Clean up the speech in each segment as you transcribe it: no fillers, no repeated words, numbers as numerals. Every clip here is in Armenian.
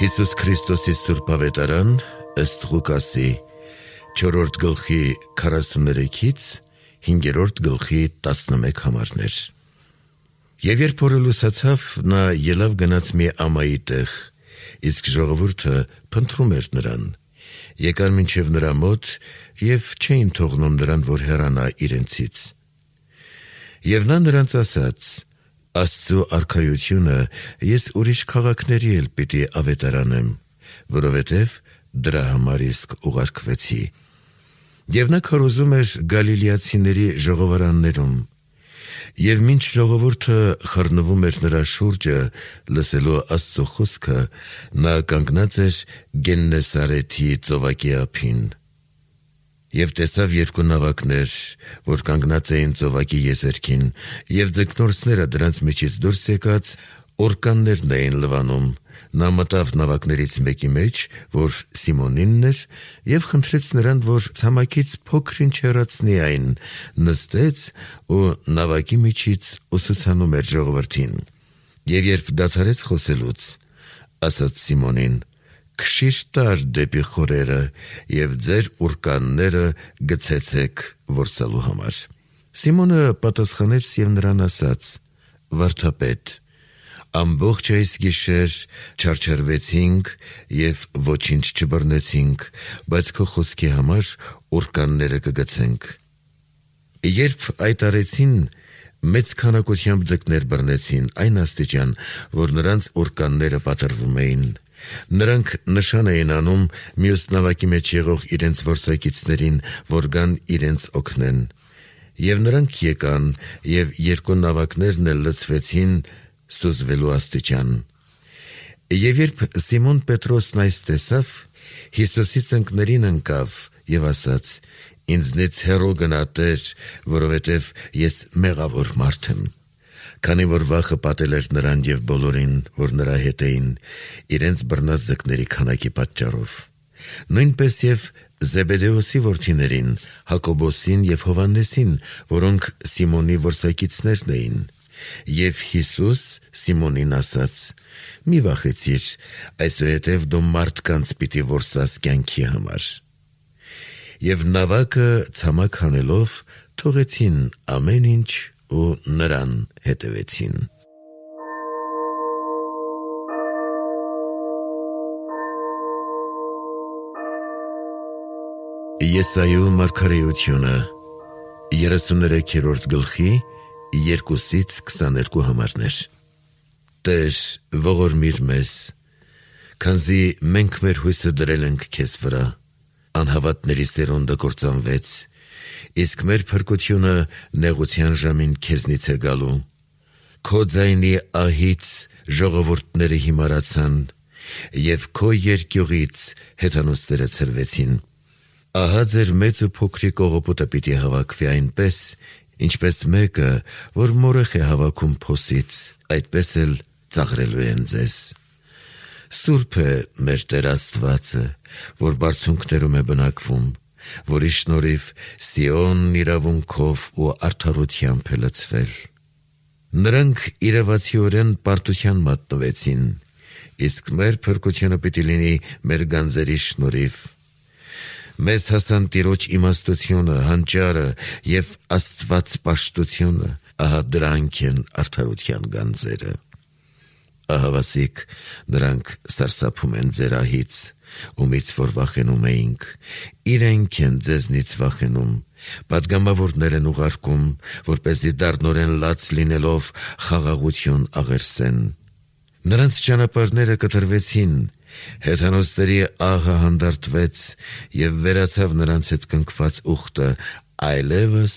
Հիսուս Քրիստոսի Սուրբ Ավետարան ըստ Ղուկասի 4-րդ գլխի 43-ից 5-րդ գլխի 11 համարներ։ Եվ երբ օրը լուսացավ, նա ելավ գնաց մի ամայի տեղ, իսկ ժողովուրդը փնտրում էր նրան, եկան մինչև նրա մոտ և չէին թողնում նրան, որ հեռանա իրենցից։ Եվ նա նրանց ասաց. Աստծու արքայությունը ես ուրիշ քաղաքների էլ պիտի ավետարանեմ, որովհետև դրա համար իսկ ուղարկվեցի։ Եվ նա քարոզում էր գալիլեացիների ժողովարաններում, և մինչ ժողովուրդը խռնվում էր նրա շուրջը, լսելու Աստծու խոսքը, նա կանգնած էր Գեննեսարեթի ծովակի ափին։ Եվ տեսավ երկու նավակներ, որ կանգնած էին ծովակի եզերքին, և ձկնորսները դրանց միջից դուրս եկած օրկաններն էին լվանում։ Նա մտավ նավակներից մեկի մեջ, որ Սիմոնինն էր, և խնդրեց նրան, որ ցամաքից փոքր-ինչ հեռացնի այն, նստեց ու նավակի միջից ուսուցանում էր ժողովրդին։ Եվ երբ դադարեց խոսելուց, ասաց Սիմոնին. «Քշիր տար դեպի խորերը և ձեր ուռկանները գցեցեք որսալու համար»։ Սիմոնը պատասխանեց և նրան ասաց. «Վարդապետ, ամբողջ այս գիշեր չարչարվեցինք և ոչինչ չբռնեցինք, բայց քո խոսքի համար ուռկանները կգցենք»։ Երբ այդ արեցին, մեծ քանակությամբ ձկներ բռնեցին այն աստիճան, որ նրանց ուռկանները պատռվում էին։ Նրանք նշան էին անում մյուս նավակի մեջ եղող իրենց որսակիցներին, որ գան իրենց օգնեն։ Եվ նրանք եկան, և երկու նավակներն էլ լցվեցին սուզվելու աստիճան։ Եվ երբ Սիմոն Պետրոսն այս տեսավ, Հիսուսի ծնկներին ընկավ և ասաց. «Ինձնից հեռու գնա, Տեր, որովհետև ես մեղավոր մարդ եմ»։ Քանի որ վախը պատել էր նրան և բոլորին, որ նրա հետ էին, իրենց բռնած ձկների քանակի պատճառով։ Նույնպես և Զեբեդեոսի որդիներին, Հակոբոսին և Հովհաննեսին, որոնք Սիմոնի որսակիցներն էին։ Եվ Հիսուս Սիմոնին ասաց. «Մի վախեցիր, այսուհետև դու մարդկանց պիտի որսաս կյանքի համար»։ Եվ նավակը ցամաք հանելով, թողեցին ամեն ինչ ու նրան հետևեցին։ Եսայու մարգարեությունը 33-րդ գլխի 2-ից 22 համարներ։ Տեր, ողորմիր մեզ, քանզի մենք մեր հույսը դրել ենք քեզ վրա, անհավատների սերունդը կործանվեց, իսկ մեր փրկությունը նեղության ժամին քեզնից է գալու։ Քո ձայնի ահից ժողովուրդները հիմարացան, և քո երկյուղից հեթանոսները ցրվեցին։ Ահա ձեր մեծ ու փոքրիկ կողոպուտը պիտի հավաքվի այնպես, ինչպես մեկը, որ մորեխ է հավաքում փոսից, այդպես էլ ծաղրելու են ձեզ։ Սուրբ է մեր Տեր Աստվածը, որ բարձունքներում է բնակվում, որի շնորհիվ Սիոնն իրավունքով ու արդարությամբ է լցվել։ Նրանք իրավացիորեն պարտության մատնվեցին, իսկ մեր փրկությունը պիտի լինի մեր գանձերի շնորհիվ։ Մեզ հասան Տիրոջ իմաստությունը, հանճարը և աստվածպաշտությունը, ահա դրանք են արդարության գանձերը։ Ահավասիկ նրանք սարսափում են ձեր ահից, ումից որ վախենում էինք, իրենք են ձեզնից վախենում, պատգամավորներ են ուղարկում, որպեսզի դառնորեն լաց լինելով խաղաղություն աղերսեն։ Նրանց ճանապարհները կտրվեցին, հեթանոսների աղը հանդարտվեց, և վերացավ նրանց հետ կնքված ուխտը, այլևս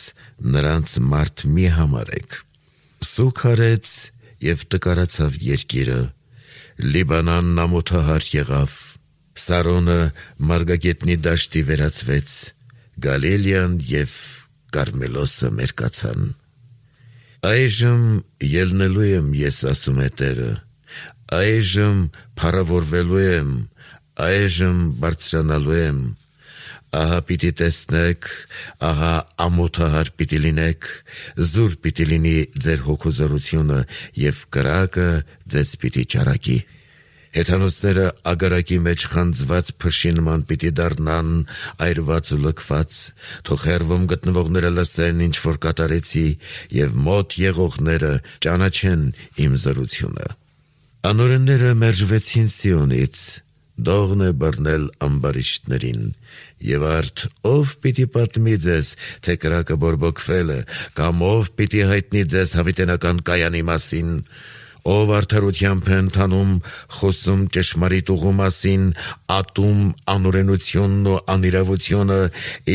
նրանց մարդ մի համարեք։ Սուգ արեց և տկարացավ երկիրը, Լիբանանն ամոթահար եղավ, Սարոնը մարգագետնի դաշտի վերածվեց, Գալիլեան և Կարմելոսը մերկացան։ Այժմ ելնելու եմ, ես ասում է Տերը, այժմ փառավորվելու եմ, այժմ բարձրանալու եմ։ Ահա պիտի տեսնեք, ահա ամոթահար պիտի լինեք, զուր պիտի լինի ձեր հոգու զորությունը, և կրակը ձեզ պիտի ճարակի։ Հեթանոսները ագարակի մեջ խանձված փշի նման պիտի դառնան, այրված ու լքված, թող հեռվում գտնվողները լսեն, ինչ որ կատարեցի, եւ մոտ եղողները ճանաչեն իմ զորությունը։ Անօրենները մերժվեցին Սիոնից, դողն է բռնել ամբարիշտներին, եւ արդ ով պիտի պատմի ձեզ, թե կրակը բորբոքվել է, կամ ով պիտի հայտնի ձեզ հավիտենական կայանի մասին, ով արդարությամբ է ընթանում, խոսում ճշմարիտ ուղու մասին, ատում անօրենությունն ու անիրավությունը,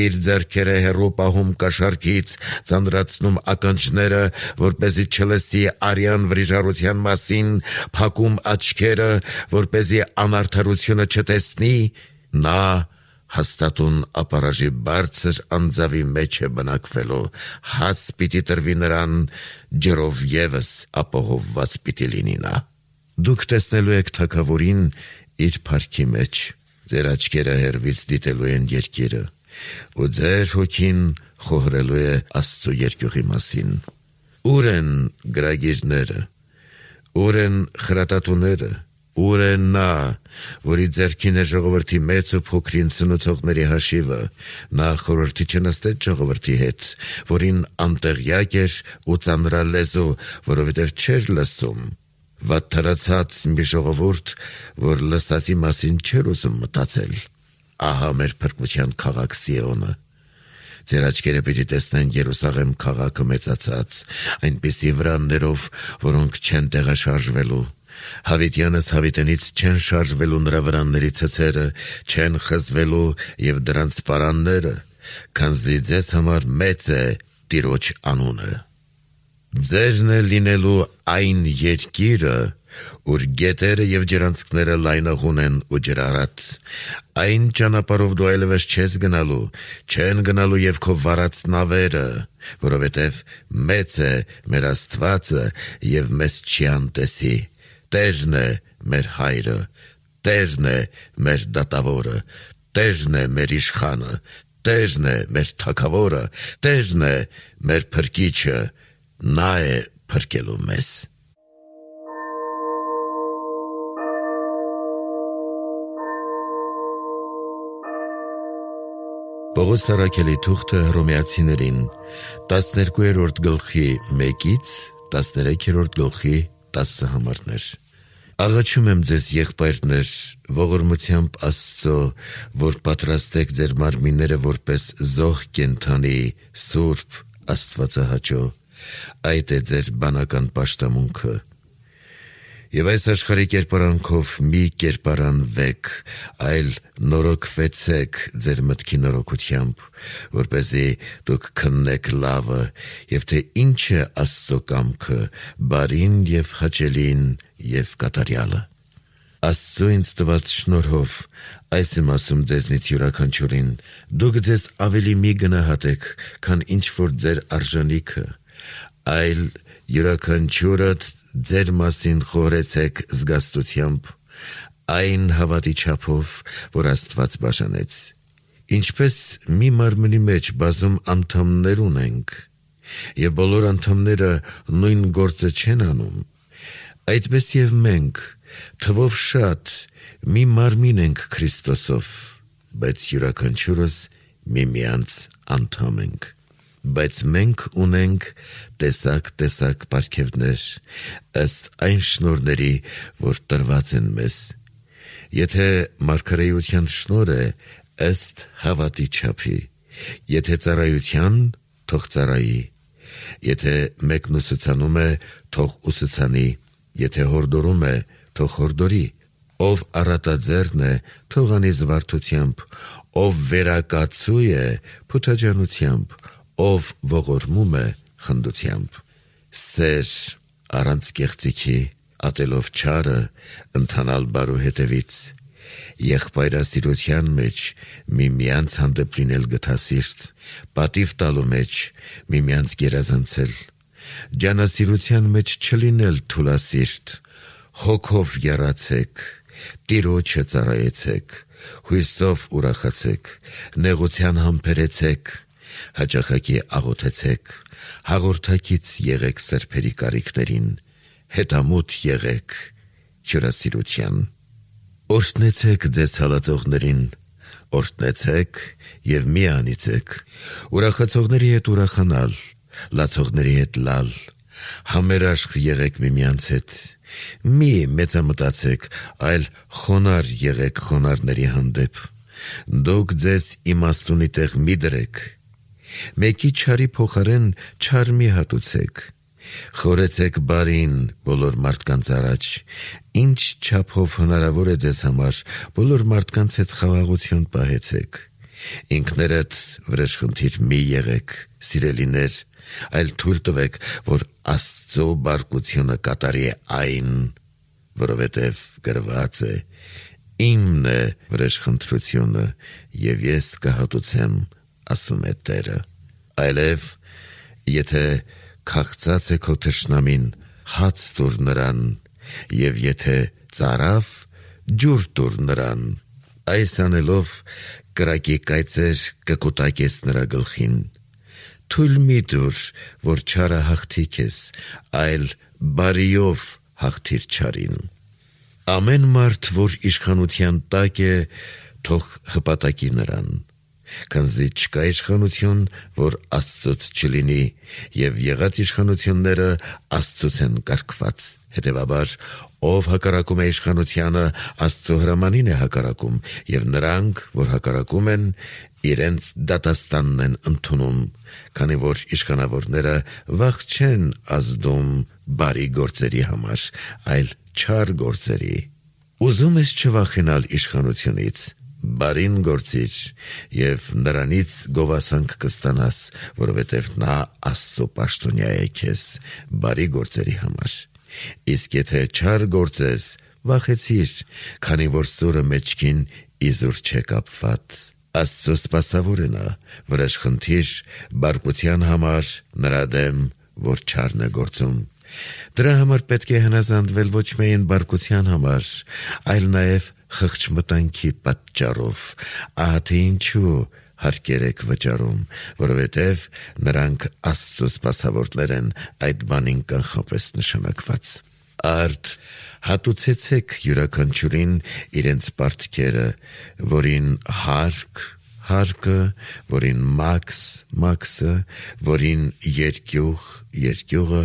իր ձեռքերը հեռու պահում կաշառքից, ծանրացնում ականջները, որպեսզի չլսի արյան վրիժառության մասին, փակում աչքերը, որպեսզի անարդարությունը չտեսնի, նա հաստատուն ապարաժի բարձր անձավի մեջ է բնակվելու, հաց պիտի տրվի նրան, ջրով ևս ապահովված պիտի լինի նա։ Դուք տեսնելու եք թագավորին իր փառքի մեջ, ձեր աչքերը հեռվից դիտելու են երկիրը, ու ձեր հոգին խոհրելու է Աստծու երկյուղի մասին։ Ուր են գրագիրները, ուր են խրատատուները, ուր է նա, որի ձեռքին է ժողովրդի մեծ ու փոքրին ցնուցողների հաշիվը, նա խորհրդի չնստեց ժողովրդի հետ, որին անտեղյակ էր ու ծանրալեզու, որովհետև չէր լսում, վատթարացած մի ժողովուրդ, որ լսածի մասին չէր ուզում մտածել։ Ահա մեր փրկության քաղաք Սիոնը։ Ձեր աչքերը պիտի տեսնեն Երուսաղեմ քաղաքը մեծացած, այնպիսի վրաններով, որոնք չեն տեղաշարժվելու։ Հավիտյանս հավիտենից չեն շարժվելու նրա վրանների ցցերը, չեն խզվելու եւ դրանց պարանները, քանզի ձեզ համար մեծ է Տիրոջ անունը։ Ձերն է լինելու այն երկիրը, ուր գետերը եւ ջրանցքները լայնաղուն են ու ջրառատ, այն ճանապարհով դու այլևս չես գնալու, չեն գնալու եւ քո վարած նավերը, որովհետեւ մեծ է մեր Աստվածը եւ մեզ չի անտեսի։ Տերն է մեր հայրը, Տերն է մեր դատավորը, Տերն է մեր իշխանը, Տերն է մեր թագավորը, Տերն է մեր փրկիչը, նա է փրկելու մեզ։ Պողոս առաքելի թուղթը Հռոմեացիներին 12-րդ գլխի 1-ից 13-րդ գլխի 10 համարներ։ Աղաչում եմ ձեզ, եղբայրներ, ողորմությամբ Աստծո, որ պատրաստեք ձեր մարմինները որպես զոհ կենդանի, սուրբ, Աստվածահաճո, այդ է ձեր բանական պաշտամունքը։ Եվ այս աշխարհի կերպարանքով մի կերպարանվեք, այլ նորոգվեցեք ձեր մտքի նորոգությամբ, որպեսզի դուք քննեք լավը, եւ թե ինչ է Աստծո կամքը, բարին եւ հաճելին եւ կատարյալը։ Աստծո ինձ տված շնորհով այս եմ ասում ձեզնից յուրաքանչյուրին, դուք ձեզ ավելի մի գնահատեք, քան ինչ որ ձեր արժանիքը, այլ յուրաքանչյուրդ ձեր մասին խորեցեք զգաստությամբ, այն հավատի չափով, որ Աստված բաժանեց։ Ինչպես մի մարմնի մեջ բազում անդամներ ունենք, եւ բոլոր անդամները նույն գործը չեն անում, այդպես եւ մենք թվով շատ մի մարմին ենք Քրիստոսով, բայց յուրաքանչյուրս միմյանց անդամ ենք։ Բայց մենք ունենք տեսակ պարգևներ, ըստ այն շնորհների, որ տրված են մեզ։ Եթե մարգարեության շնորհ է, ըստ հավատի չափի, եթե ծառայության, թող ծառայի, եթե մեկն ուսուցանում է, թող ուսուցանի, եթե հորդորում է, թող հորդորի, ով առատաձեռն է, թող անի զվարթությամբ, ով վերակացու է, փութաջանությամբ, ով ողորմում է խնդությամբ, սեր առանց կեղծիքի, ատելով չարը, ընթանալ բարու հետևից, եղբայրասիրության մեջ միմյանց հանդեպ լինել գթասիրտ, պատիվ տալու մեջ միմյանց գերազանցել, ջանասիրության մեջ չլինել թուլասիրտ, հոգով եռացեք, Տիրոջը ծառայեցեք, հույսով ուրախացեք, նեղության համբերեցեք, հաճախակի աղոթեցեք, հաղորդակից եղեք սրբերի կարիքներին, հետամուտ եղեք հյուրասիրության։ Օրհնեցեք ձեզ հալածողներին, օրհնեցեք և մի անիծեք, ուրախացողների հետ ուրախանալ, լացողների հետ լալ, համերաշխ եղեք միմյանց հետ, մի մեծամտածեք, այլ խոնար եղեք խոնարհների հանդեպ, դուք ձեզ իմաստունի տեղ մի դրեք, մեկի չարի փոխարեն չար մի հատուցեք, խորեցեք բարին բոլոր մարդկանց առաջ, ինչ չափով հնարավոր է ձեզ համար, բոլոր մարդկանց հետ խաղաղություն պահեցեք, ինքներդ վրեժխնդիր մի եղեք, սիրելիներ, այլ թույլ տվեք, որ Աստծո բարկությունը կատարի այն, որովհետև գրված է. «Իմն է վրեժխնդրությունը, և ես կհատուցեմ, ասում է Տերը»։ Այլև, եթե քաղցած է քո թշնամին, հաց տուր նրան, և եթե ծարավ, ջուր տուր նրան։ Այս անելով կրակի կայծեր կկուտակես նրա գլխին։ Թույլ մի տուր, որ չարը հաղթի քեզ, այլ բարիով հաղթիր չարին։ Ամեն մարդ, որ իշխանության տակ է, թող հպատակի նրան, քանզի չկա իշխանություն, որ Աստծուց չլինի, և եղած իշխանությունները Աստծուց են կարգված։ Հետևաբար, ով հակառակում է իշխանությանը, Աստծո հրամանին է հակառակում, և նրանք, որ հակառակում են, իրենց դատաստանն են ընդունում, քանի որ իշխանավորները վախ չեն ազդում բարի գործերի համար, այլ չար գործերի։ Ուզում ես չվախենալ իշխանությունից, բարին գործիր, և նրանից գովասանք կստանաս, որովհետև նա Աստծո պաշտոնյա է քեզ բարի գործերի համար։ Իսկ եթե չար գործես, վախեցիր, քանի որ սուրը մեջքին իզուր չէ կապված։ Աստծո սպասավոր է նա, վրեժխնդիր, բարկության համար նրա դեմ, որ չարն է գործում։ Դրա համար պետք է հնազանդվել ոչ միայն բարկության համար, այլ նաև խղճմտանքի պատճառով, ահա թե ինչու հարկեր եք վճարում, որովհետև նրանք Աստծո սպասավորներ են այդ բանին կանխապես նշանակված։ Արդ հատուցեցեք յուրաքանչյուրին իրենց պարտքերը, որին հարկ, հարկը, որին մաքս, մաքսը, որին երկյուղ, երկյուղը,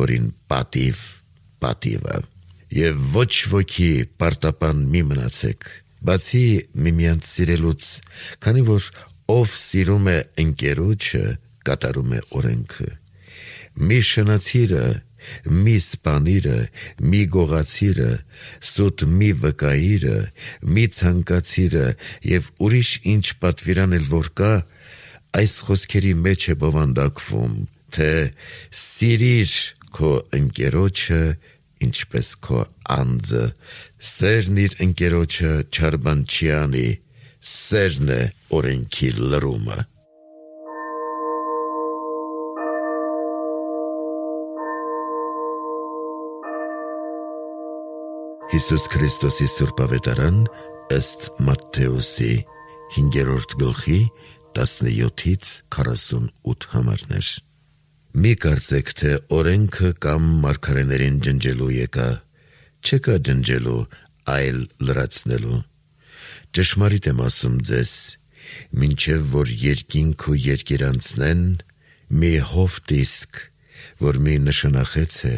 որին պատիվ, պատիվը։ Եվ ոչ ոքի պարտապան մի մնացեք, բացի միմյանց սիրելուց, քանի որ ով սիրում է ընկերոջը, կատարում է օրենքը։ Մի շնացիրը, մի սպանիրը, մի գողացիրը, սուտ մի վկայիրը, մի ցանկացիրը և ուրիշ ինչ պատվիրանել որ կա, այս խոսքերի մեջ է բովանդակվում, թե սիրիր քո ընկերոջը, ինչպես քո անձը, սերն իր ընկերոջը չար բան չի անի, սերն է օրենքի լրումը։ Հիսուս Քրիստոսի Սուրբ Ավետարան ըստ Մատթեոսի 5-րդ գլխի 17-ից 48 համարներ։ Մի կարծեք, թե օրենքը կամ մարգարեներին ջնջելու եկա, չեկա ջնջելու, այլ լրացնելու։ Ճշմարիտ եմ ասում ձեզ, մինչև որ երկինք ու երկիր անցնեն, մի հովտ իսկ, որ մի նշանախեց է,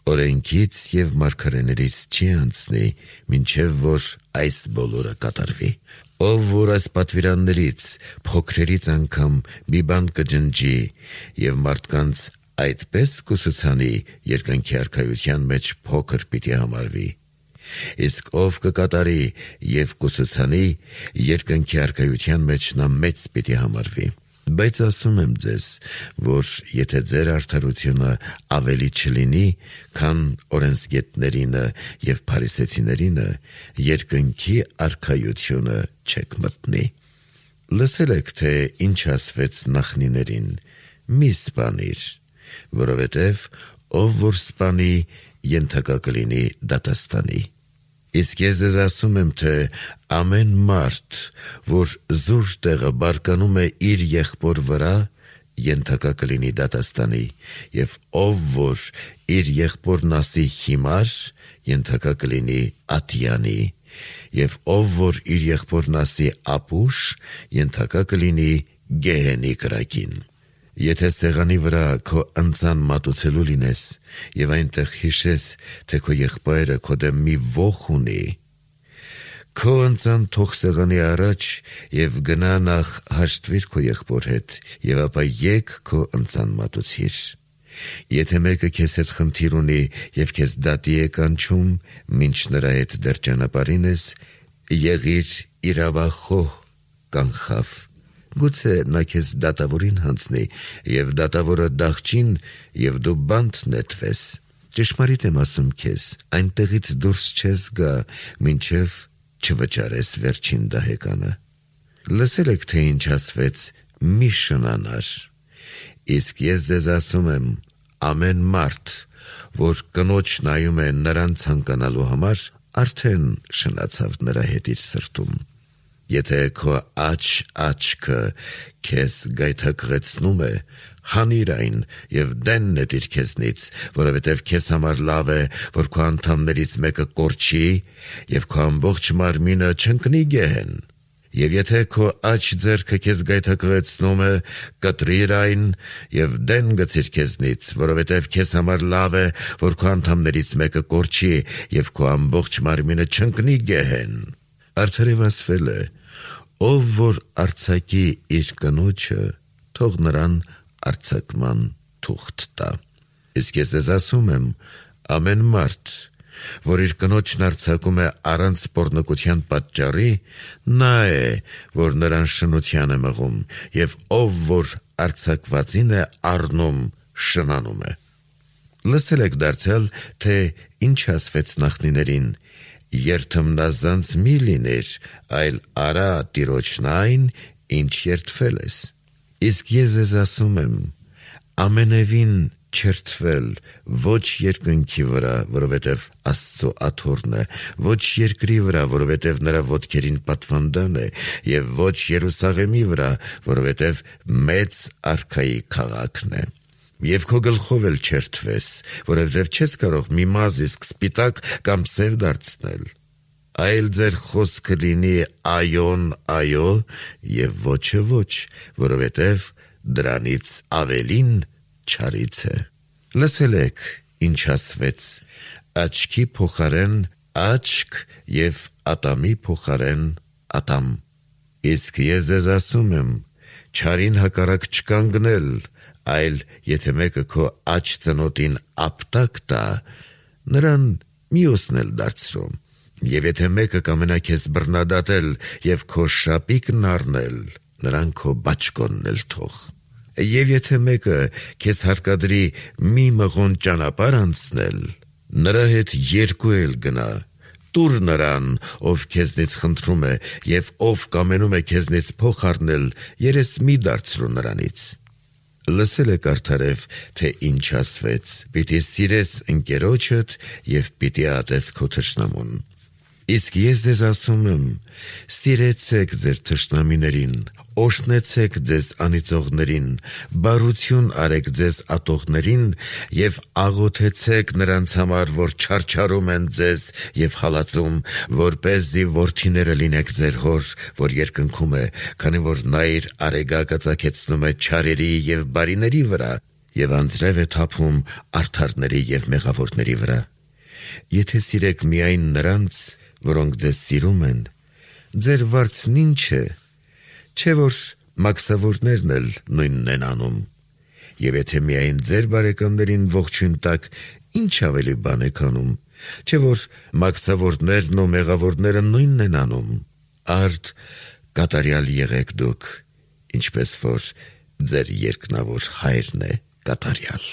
օրենքից և մարգարեներից չի անցնի, մինչև որ այս բոլորը կատարվի։ Ով որ այս պատվիրաններից, փոքրերից անգամ մի բան կջնջի և մարդկանց այդպես կուսուցանի, երկնքի արքայության մեջ փոքր պիտի համարվի։ Իսկ ով կկատարի և կուսուցանի, երկնքի արքայության մեջ նա մեծ պիտի համարվի։ Բայց ասում եմ ձեզ, որ եթե ձեր արդարությունը ավելի չլինի, քան օրենսգետներինը և փարիսեցիներինը, երկնքի արքայությունը չեք մտնի։ Լսել եք, թե ինչ ասվեց նախնիներին. մի սպանիր, որովհետև ով որ սպանի, ենթակա կլինի դատաստանի։ Իսկ ես ձեզ ասում եմ, թե ամեն մարդ, որ զուր տեղը բարկանում է իր եղբոր վրա, ենթակա կլինի դատաստանի, և ով որ իր եղբորն ասի հիմար, ենթակա կլինի ատյանի, եւ ով որ իր եղբորն ասի ապուշ, ենթակա կլինի գեհենի կրակին։ Եթե սեղանի վրա քո ընծան մատուցելու լինես եւ այնտեղ հիշես, թե քո եղբայրը քո դեմ մի ոխ ունի, քո ընծան թող սեղանի առաջ եւ գնա նախ հաշտվիր քո եղբոր հետ եւ ապա եկ քո ընծան մատուցիր։ Եթե մեկը քեզ հետ խնդիր ունի եւ քեզ դատի է կանչում, մինչ նրա հետ դեռ ճանապարհին ես, եղիր իրավախոհ, կանխավ։ Գուցե նա քեզ դատավորին հանձնի եւ դատավորը դաղճին եւ դու բանտ նետվես։ Ճշմարիտ եմ ասում քեզ, այնտեղից դուրս չես գա, մինչեւ չվճարես վերջին դահեկանը։ Լսել եք, թե ինչ ասվեց՝ մի շնանար։ Իսկ ես ձեզ ասում եմ, ամեն մարդ, որ կնոջ նայում է նրան ցանկանալու համար, արդեն շնացավ նրա հետ իր սրտում։ Եթե քո աչքը քեզ գայթակղեցնում է, հանիր այն եւ դեն նետիր քեզնից, որովհետեւ քեզ համար լավ է, որ քո անդամներից մեկը կորչի եւ քո ամբողջ մարմինը չընկնի գեհեն։ Եվ եթե քո աջ ձեռքը քեզ գայթակղեցնում է, կտրիր այն եւ դեն գցիր քեզնից, որովհետեւ քեզ համար լավ է, որ քո անդամներից մեկը կորչի եւ քո ամբողջ մարմինը չընկնի գեհեն։ Արդարև ասվել է. ով որ արձակի իր կնոջը, թող նրան արձակման թուղթ տա։ Իսկ ես ձեզ ասում եմ, ամեն մարդ, որ իր կնոջն արձակում է առանց պոռնկության պատճառի, նա է, որ նրան շնության է մղում, եւ ով որ արձակվածին է առնում, շնանում է։ Լսել եք դարձյալ, թե ինչ ասվեց նախնիներին. երթմնազանց մի լիներ, այլ արա տիրոջն այն, ինչ երդվել ես։ Իսկ ես ձեզ ասում եմ, ամենևին չերթվել ոչ երկնքի վրա, որովհետև Աստծո աթոռն է, ոչ երկրի վրա, որովհետև նրա ոտքերին պատվանդան է, եւ ոչ Երուսաղեմի վրա, որովհետև մեծ արքայի քաղաքն է։ Եվ քո գլխով էլ չերթվես, որովհետև չես կարող մի մազ իսկ սպիտակ կամ սև դարձնել, այլ ձեր խոսքը լինի այոն այո եւ ոչը ոչ, որովհետև դրանից ավելին չարից է։ Լսել եք, ինչ ասվեց. աչքի փոխարեն աչք եւ ատամի փոխարեն ատամ։ Իսկ ես ձեզ ասում եմ, չարին հակառակ չկանգնել, այլ եթե մեկը քո աջ ծնոտին ապտակ տա, նրան մյուսն էլ դարձրու։ Եվ եթե մեկը կամենա քեզ բռնադատել եւ քո շապիկն առնել, նրան քո բաճկոնն էլ թող։ Եվ եթե մեկը քեզ հարկադրի մի մղոն ճանապարհ անցնել, նրա հետ երկու էլ գնա։ Տուր նրան, ով քեզնից խնդրում է, եւ ով կամենում է քեզնից փող առնել, երես մի դարձրու նրանից։ Լսել եք արդարև, թե ինչ ասվեց. պիտի սիրես ընկերոջդ եւ պիտի ատես քո թշնամուն։ Իսկ ես ձեզ ասում եմ, սիրեցեք ձեր թշնամիներին, օրհնեցեք ձեզ անիծողներին, բարություն արեք ձեզ ատողներին եւ աղոթեցեք նրանց համար, որ չարչարում են ձեզ եւ հալածում, որպեսզի որդիները լինեք ձեր հոր, որ երկնքում է, քանի որ նա իր արեգակը ծագեցնում է չարերի եւ բարիների վրա եւ անձրև է թափում արդարների եւ մեղավորների վրա։ Եթե սիրեք միայն նրանց, որոնք ձեզ սիրում են, ձեր վարձն ինչ է, չէ՞ որ մաքսավորներն էլ նույնն են անում։ Եվ եթե միայն ձեր բարեկամներին ողջույն տաք, ինչ ավելի բան եք անում, չէ՞ որ մաքսավորներն ու մեղավորները նույնն են անում։ Արդ կատարյալ եղեք դուք, ինչպես որ ձեր երկնավոր հայրն է կատարյալ։